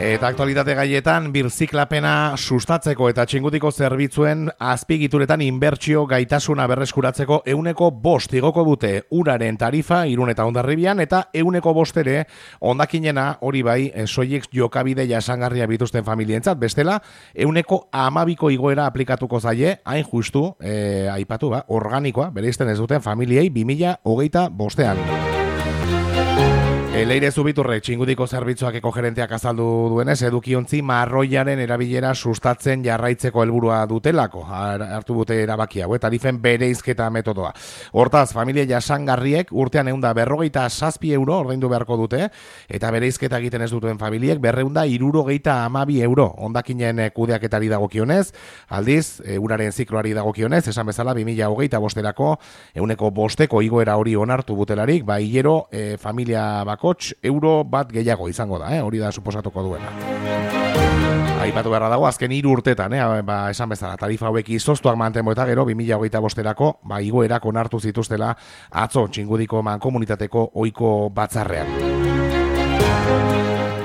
Eta aktualitate gaietan birziklapena sustatzeko eta txingudiko zerbitzuen azpigituretan inbertsio gaitasuna berreskuratzeko 5% igoko dute uraren tarifa Irun eta Hondarribian eta 5% ere hondakinena hori bai soilik jokabide jasangarria bituzten familientzat, bestela 12% igoera aplikatuko zaie, hain justu aipatu organikoa bereizten ez duten familiei 2025ean. Leire Zubiturrek txingudiko zerbitzuakeko gerenteak azaldu duenez, edukiontzi marroiaren erabilera sustatzen jarraitzeko helburua dutelako, hartu dute erabaki hau, tarifen bereizketa metodoa. Hortaz, familia jasangarriek urtean 147 euro ordaindu beharko dute, eta bereizketa egiten ez duten familiek 272 euro hondakinen kudeaketari dagokionez, aldiz, uraren zikloari dagokionez, esan bezala 2025erako 5% igoera hori onartu butelarik, hilero familia bako euro bat gehiago izango da, hori da suposatuko duena. Aipatu beharra dago, azken 3 urtetan, esan bezala, tarifa hauek izoztuak mantenbo eta gero 2025erako igoerak onartu zituztela atzo txingudiko mankomunitateko ohiko batzarrean.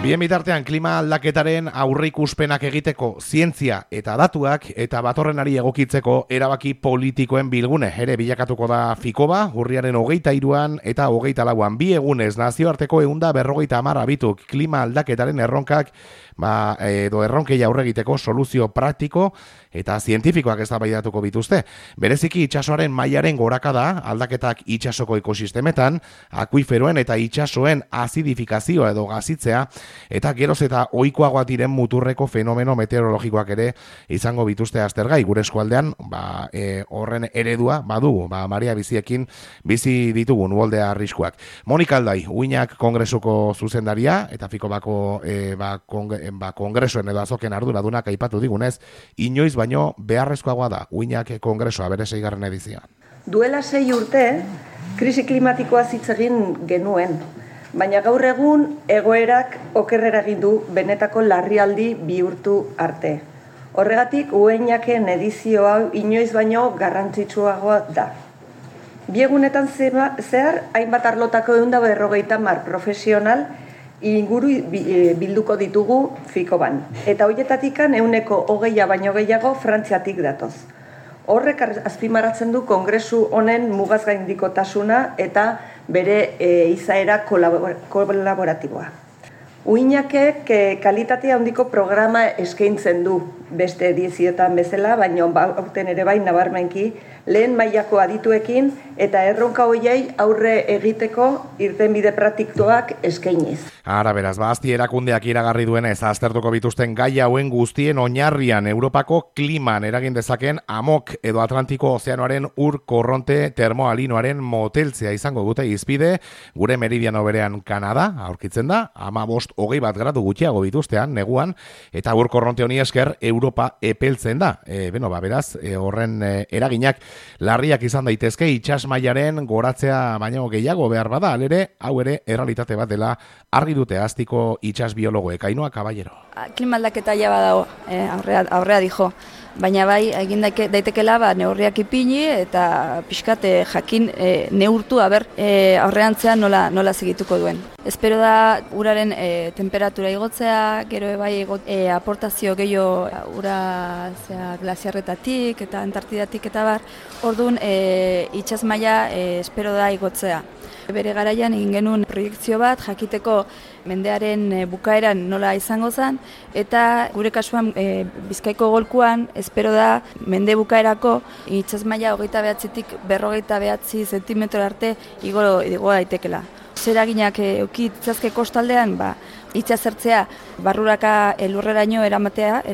Bien bitartean, klima aldaketaren aurreikuspenak egiteko zientzia eta datuak eta batorrenari egokitzeko erabaki politikoen bilgune ere bilakatuko da Fikoba, urriaren 23an eta 24an 2 egunez nazioarteko 150 abituk klima aldaketaren erronkak edo erronkei aurre egiteko soluzio praktiko eta zientifikoak eztabaidatuko bituzte. Bereziki itsasoaren mailaren gorakada, aldaketak itsasoko ekosistemetan, akuiferoen eta itsasoen azidifikazioa edo gazitzea, eta geroz eta ohikoagoak diren muturreko fenomeno meteorologikoak ere izango bituzte aztergai. Gure eskualdean, horren eredua badugu, Maria biziekin bizi ditugun uholdea arriskuak. Monika Aldai, Uinak Kongresuko zuzendaria, eta Fikobako kongresuen edo azoken arduradunak aipatu digunez, inoiz baino beharrezkoagoa da Uinak Kongresua bere 6. edizioa. Duela 6 urte, krisi klimatikoa hitz egin genuen, baina gaur egun egoerak okerrera egin du benetako larrialdi bihurtu arte. Horregatik, Uinaken edizio hau inoiz baino garrantzitsuagoa da. Biegunetan zehar, hainbat arlotako 150 profesional inguru bilduko ditugu Fikoban. Eta horietatikan 20% baino gehiago Frantziatik datoz. Horrek azpimarratzen du kongresu honen mugaz gaindikotasuna eta bere izaera kolaboratiboa. Uinakek kalitatea handiko programa eskaintzen du beste edizioetan bezala, baina aurten ere bai nabarmenki lehen mailako adituekin eta erronka horiei aurre egiteko irtenbide praktikoak eskainiz. Ara beraz, azti erakundeak iragarri duenez aztertuko bituzten gai hauen guztien oinarrian Europako kliman eragin dezaken amok edo Atlantiko ozeanoaren ur korronte termoalinoaren moteltzea izango dute izpide, gure meridiano berean Kanada aurkitzen da, 15-21 gradu gutxiago bituztean, neguan, eta ur korronte honi esker Europa epeltzen da. Beraz, horren eraginak larriak izan daitezke itsas mailaren goratzea baino gehiago behar bada, alere, hau ere errealitate bat dela argi dute aztiko itsas biologoek. Ainhoa Caballero. Klima aldaketa ja badago, aurrea dijo. Baina bai, egin daitekela neurriak ipini eta pixkat jakin neurtu aurreantzean nola segituko duen. Espero da uraren temperatura igotzea, gero bai aportazio gehiago ura glaziarretatik eta Antartidatik eta bar, orduan itsas maila espero da igotzea. Bere garaian egin genuen proiektzio bat jakiteko mendearen bukaeran nola izango zen, eta gure kasuan Bizkaiko golkuan espero da mende bukaerako itsas maila 29tik 49 zentimetro arte igo daitekela. Zeraginak eduki ditzazke kostaldean, itsasertzea barruraka elurreraino eramatea,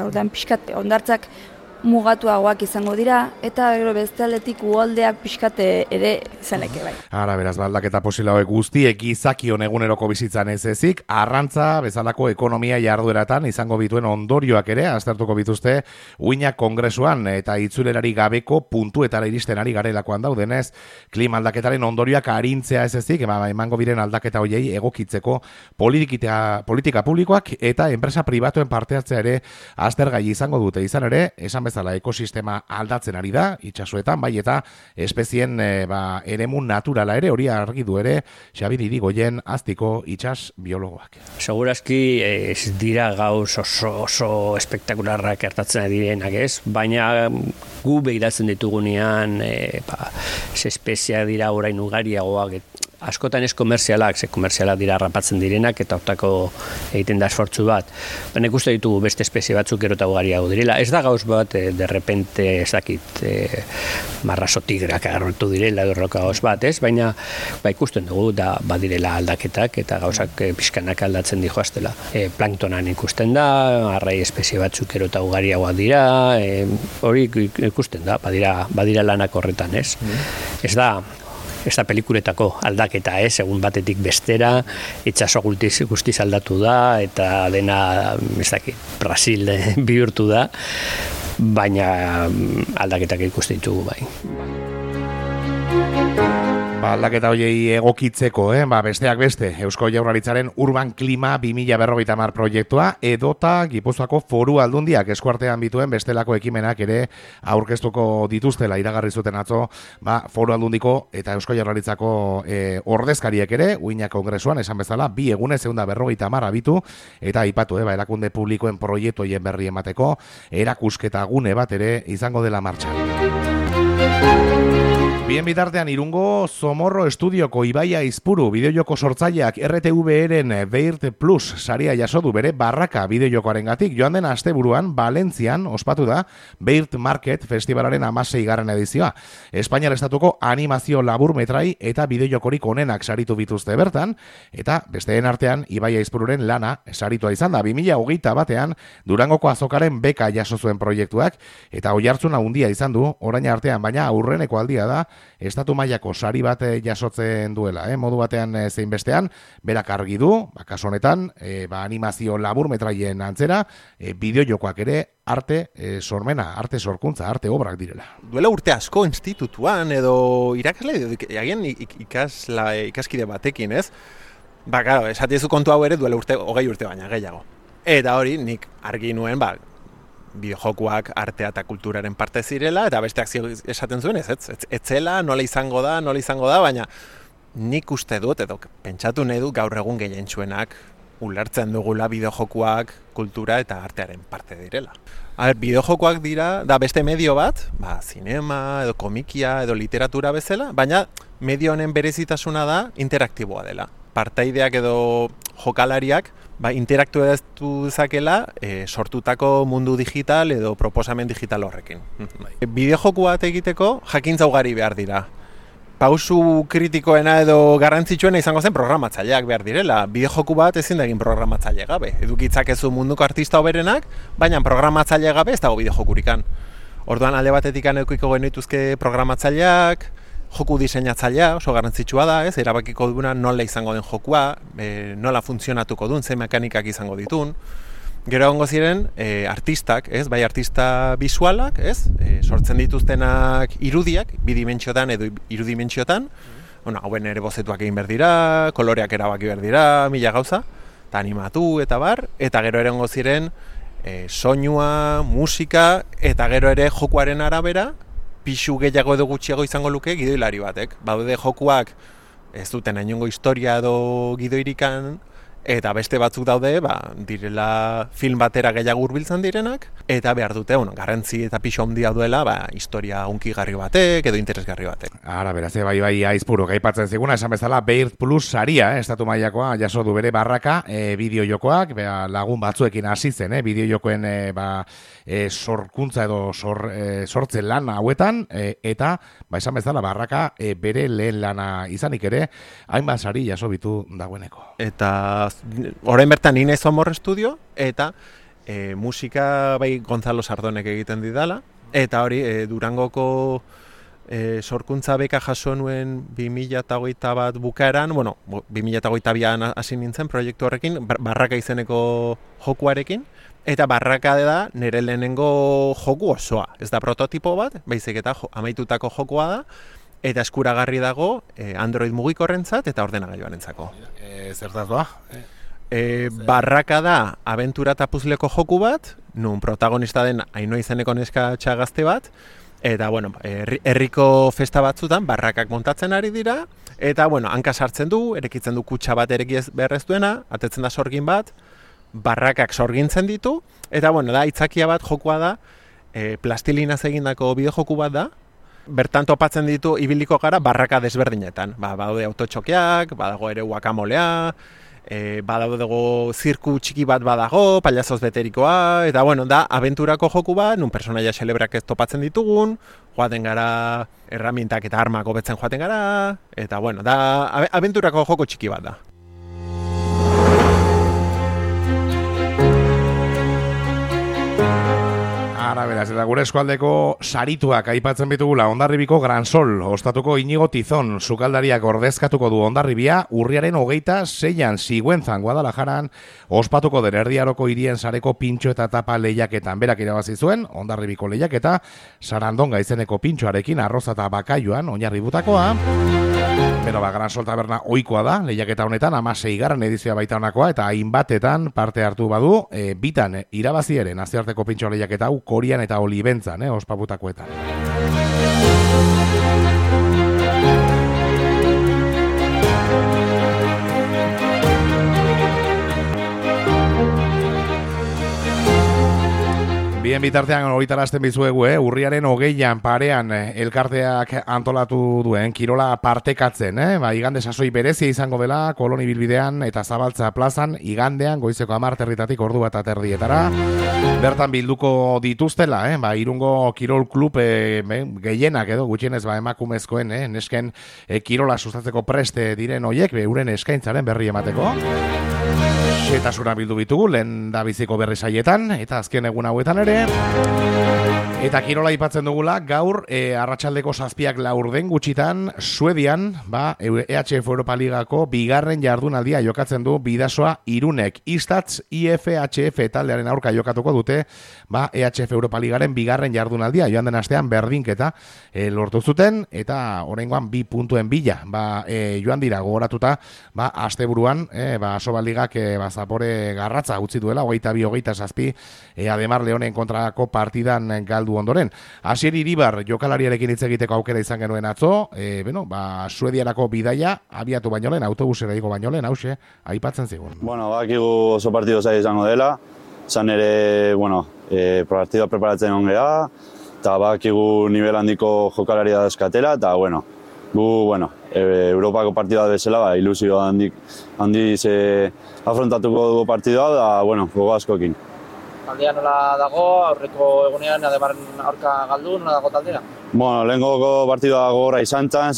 orduan pixkat hondartzak mugatuagoak izango dira, eta gero beste aldetik uholdeak pixkat ere izaneke bai. Ara beraz, aldaketa posible hauek guztiek gizakion eguneroko bizitzan ez ezik, arrantza bezalako ekonomia jardueratan izango bituen ondorioak ere aztertuko bituzte Uinak Kongresuan, eta itzulerari gabeko puntuetara iristen ari garelakoan daudenez, klima aldaketaren ondorioak arintzea ez ezik, emango biren aldaketa hoiei egokitzeko politika publikoak eta enpresa pribatuen parte hartzea ere aztergai izango dute. Izan ere, esan bezala ekosistema aldatzen ari da, itsasoetan, bai eta espezien eremu naturala ere, hori argi du ere, Xabi Irigoyen Aztiko itsas biologoak. Segurazki ez dira gauz oso espektakularrak gertatzen direnak ez, baina gu begiratzen ditugunean espeziak dira orain ugariagoak, askotan ez komerzialak, komerzialak dira rapatzen direnak eta hortako egiten da esfortzu bat. Baina ikuste ditugu beste espezie batzuk gero eta ugariago direla. Ez da gauz bat, derrepente ez dakit marraso tigrak agarrotu direla edo gauz bat, ez? Baina ikusten dugu da badirela aldaketak eta gauzak pixkanak aldatzen dijoaztela. Planktonan ikusten da, arrai espezie batzuk gero eta ugariagoak dira, hori ikusten da, badira lanak horretan, ez? Ez da pelikuletako aldaketa, egun batetik bestera, itsaso guztiz aldatu da, eta dena, ez dakit, Brasil bihurtu da, baina aldaketak ikusten ditugu bai. Aldaketa hoiei egokitzeko, besteak beste, Eusko Jaurlaritzaren Urban Klima 2050 proiektua edota Gipuzkoako Foru Aldundiak eskuartean bituen bestelako ekimenak ere aurkeztuko dituztela iragarri zuten atzo, Foru Aldundiko eta Eusko Jaurlaritzako ordezkariek ere, Uinak Kongresuan esan bezala, 2 egunez 250 abitu eta aipatu, erakunde publikoen proiektu hoien berri emateko, erakusketa gune bat ere izango dela martxan. Bien bitartean Irungo Zomorro Estudioko Ibaia Izpuru bideojoko sortzaileak RTV-eren Beirt Plus saria jaso du bere Barraka bideojokoarengatik. Joan den asteburuan Valentzian ospatu da Beirt Market Festivalaren 16. edizioa. Espainiar estatuko animazio laburmetrai eta bideojokorik onenak saritu bituzte bertan, eta besteen artean Ibaia Izpururen lana saritua izan da 2021 Durangoko azokaren beka jaso zuen proiektuak, eta oihartzuna handia izan du orain artean, baina aurreneko aldia da estatu mailako sari bat jasotzen duela, modu batean zein bestean, berak argi du, kasu honetan, animazio laburmetraien antzera, bideojokoak ere arte sormena, arte sorkuntza, arte obrak direla. Duela urte asko institutuan edo irakasle, agian ikaskide batekin, ez? Claro, esatiezu kontu hau ere duela 20 urte baina gehiago. Eta hori nik argi nuen, bideojokoak artea eta kulturaren parte zirela, eta besteak esaten zuen etzela, nola izango da, baina nik uste dut, edo pentsatu nahi dut gaur egun gehientsuenak ulertzen dugula bideojokoak kultura eta artearen parte direla. Bideojokoak dira, da beste medio bat, zinema, edo komikia, edo literatura bezala, baina medio honen berezitasuna da interaktiboa dela. Partaideak edo jokalariak interaktuatu dezakela sortutako mundu digital edo proposamen digital horrekin. Bideojoko bat egiteko jakintza ugari behar dira. Pausu kritikoena edo garrantzitsuena izango zen programatzaileak behar direla. Bideojoku bat ezin da egin programatzaile gabe. Edukitzakezu munduko artista hoberenak, baina programatzaile gabe ez dago bideojokurikan. Orduan alde batetik edukiko genituzke programatzaileak, joku diseinatzailea oso garrantzitsua da, erabakiko duena nola izango den jokua, nola funtzionatuko duen, ze mekanikak izango ditun. Gero egongo ziren artistak, bai artista bisualak, sortzen dituztenak irudiak, bidimentsiotan edo irudimentsiotan, hauen ere bozetuak egin behar dira, koloreak erabaki behar dira, mila gauza, eta animatu eta bar, eta gero ere egongo ziren soinua, musika, eta gero ere jokuaren arabera, pixu gehiago edo gutxiago izango luke gidoilari batek. Baude jokuak ez duten inongo historia edo gidoirikan, eta beste batzuk daude, direla film batera gehiago hurbiltzen direnak, eta behar dute, garrantzi eta pixu handia duela, historia hunkigarri batek edo interesgarri batek. Ara, beraz, bai Aizpuruk aipatzen ziguna, esan bezala Beirt Plus saria, estatu mailakoa jaso du bere Barraka bideojokoak, lagun batzuekin hasi zen, bideojokoen sorkuntza edo sortzen lan hauetan, eta, esan bezala Barraka bere lehen lana izanik ere, hainbat sari jaso bitu dagoeneko. Eta orain bertan ni naiz Zomorro Estudio, eta musika Gonzalo Sardonek egiten didala, eta hori Durangoko sorkuntza beka jaso nuen 2021 bukaeran, 2022an hasi nintzen proiektu horrekin, Barraka izeneko jokuarekin, eta Barraka da nire lehenengo joku osoa. Ez da prototipo bat, baizik eta amaitutako jokoa da, eta eskuragarri dago Android mugikorrentzat eta ordenagailuarentzako. Zertaz doa? Barraka da abentura eta puzleko joku bat, nun protagonista den Ainhoa izeneko neska gazte bat, eta, bueno, herriko festa batzutan barrakak montatzen ari dira, eta, bueno, hanka sartzen du, erekitzen du kutxa bat erekiz beharrez duena, atetzen da sorgin bat, barrakak sorgintzen ditu, eta, bueno, da, itzakia bat jokua da, plastilinaz egindako bideojoku bat da, bertan topatzen ditu ibiliko gara barraka desberdinetan. Badaude autotxokeak, badago ere guakamolea, badago zirku txiki bat badago, pailazoz beterikoa, eta bueno, da abenturako joku bat, nun personaia celebrak ez topatzen ditugun, joaten gara erramintak eta armak hobetzen joaten gara, eta bueno, da abenturako joko txiki bat da. Ara, beraz, eta gure eskualdeko sarituak aipatzen bitugula Hondarribiko Gran Sol, ostatuko Inigo Tizon, sukaldariak ordezkatuko du Hondarribia, urriaren 26an Sigüenzan, Guadalajaran, ospatuko den Erdiaroko hirien sareko pintxo eta tapa lehiaketan. Berak irabazi zuen, Hondarribiko lehiaketa, Sarandonga izeneko pintxoarekin, arroza eta bakaiuan, oinarributakoa. Beno, Gran Sol taberna ohikoa da, lehiaketa honetan, 16. edizioa baita honakoa, eta hainbatetan parte hartu badu, bitan irabazi ere nazioarteko pintxo lehiaketa hau Korian eta Olibentzan, ospaputakoetan. Bien bitartean horitarazten bizuegu, urriaren 20an parean elkarteak antolatu duen kirola partekatzen, igande sasoi berezia izango dela Koloni bilbidean eta Zabaltza plazan igandean goizeko 10 ordu bat aterdietara. Bertan bilduko dituztela, Irungo Kirol Klub gehienak edo gutxienez emakumezkoen, nesken kirola sustatzeko preste diren hoiek, euren eskaintzaren berri emateko. Xetasuna bildu bitugu, lehen da biziko berri saietan, eta azken egun hauetan ere. Eta kirola aipatzen dugula, gaur arratsaldeko 7:04 gutxitan, Suedian, EHF Europa Ligako bigarren jardunaldia jokatzen du Bidasoa Irunek. Istatz IFHF taldearen aurka jokatuko dute, EHF Europa Ligaren bigarren jardunaldia, joan den astean berdinketa lortu zuten, eta oraingoan 2 puntuen bila, joan dira gogoratuta, asteburuan, Sobaligak zapore garratza utzi duela, 22-27, Ademar Leonen kontrako partidan galdu ondoren. Asier Iribar jokalariarekin hitz egiteko aukera izan genuen atzo, Suediarako bidaia abiatu baino lehen, autobusera digo baino lehen, hause, aipatzen zigun. Bueno, bakigu oso partido zaila izango dela, zan ere, partidua preparatzen ongea, eta bakigu nivel handiko jokalaria dauzkatela, eta gu, Europako partidua bezala, ilusio handiz afrontatuko dugu partidua, da, gogo askokin. Taldea nola dago, aurreko egunean Ademaren aurka galdu, nola dago taldea? Lehengoko partidua gogorra izan zan,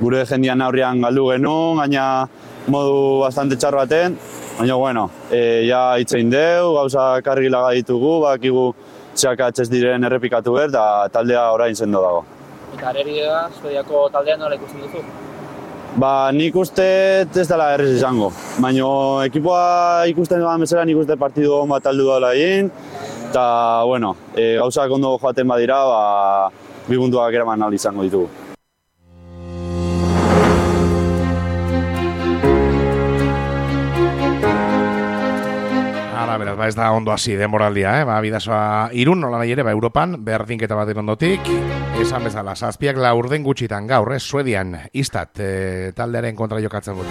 gure jendian aurrian galdu genuen, gaina modu bastante txar baten, baina, ja itzein deu, gauza kargila ditugu, bakigu txakatxez diren errepikatu behar, eta taldea orain sendo dago. Eta Arerira, Suediako taldean nola ikusten duzu? Nik uste ez dela errez izango, baina ekipoa ikusten duan bezala nik uste partidu hon bat aldu dela egin, eta, gauzak ondo joaten badira, 2 puntuak eraman ahal izango ditugu. Beraz, ez da ondo hasi denboraldia, Bidasoa Irun, nola nahi ere, Europan, berdinketa baten ondotik, esan bezala, 7:04 gutxitan gaur, Suedian, Istat, taldearen kontra jokatzen dute.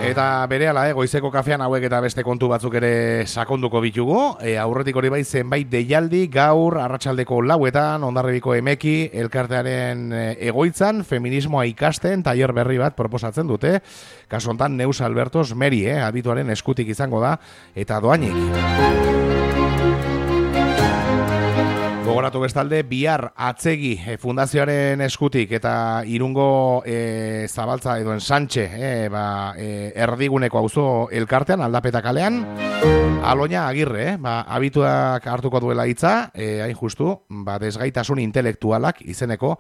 Eta berehala, goizeko kafean hauek eta beste kontu batzuk ere sakonduko bitugu. Aurretik hori bai zenbait deialdi gaur arratsaldeko 4etan Hondarribiko Emeki elkartearen egoitzan feminismoa ikasten tailer berri bat proposatzen dute. Kasu hontan Neus Albertos Meri, abituaren eskutik izango da eta doainik. Gogoratu bestalde, bihar atzegi fundazioaren eskutik eta Irungo Zabaltza edo Santxe erdiguneko auzo elkartean aldapeta kalean Aloña Agirre, abituak hartuko duela hitza, hain justu, desgaitasun intelektualak izeneko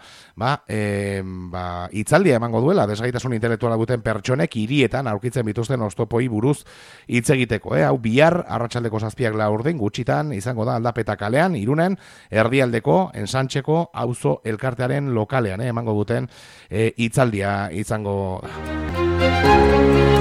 hitzaldia emango duela, desgaitasun intelektuala duten pertsonek hirietan aurkitzen bituzten oztopoi buruz hitz egiteko. Hau bihar arratsaldeko 7:04 gutxitan izango da aldapeta kalean, Irunen, Erdialdeko, Ensantxeko, auzo elkartearen lokalean, emango duten hitzaldia izango da.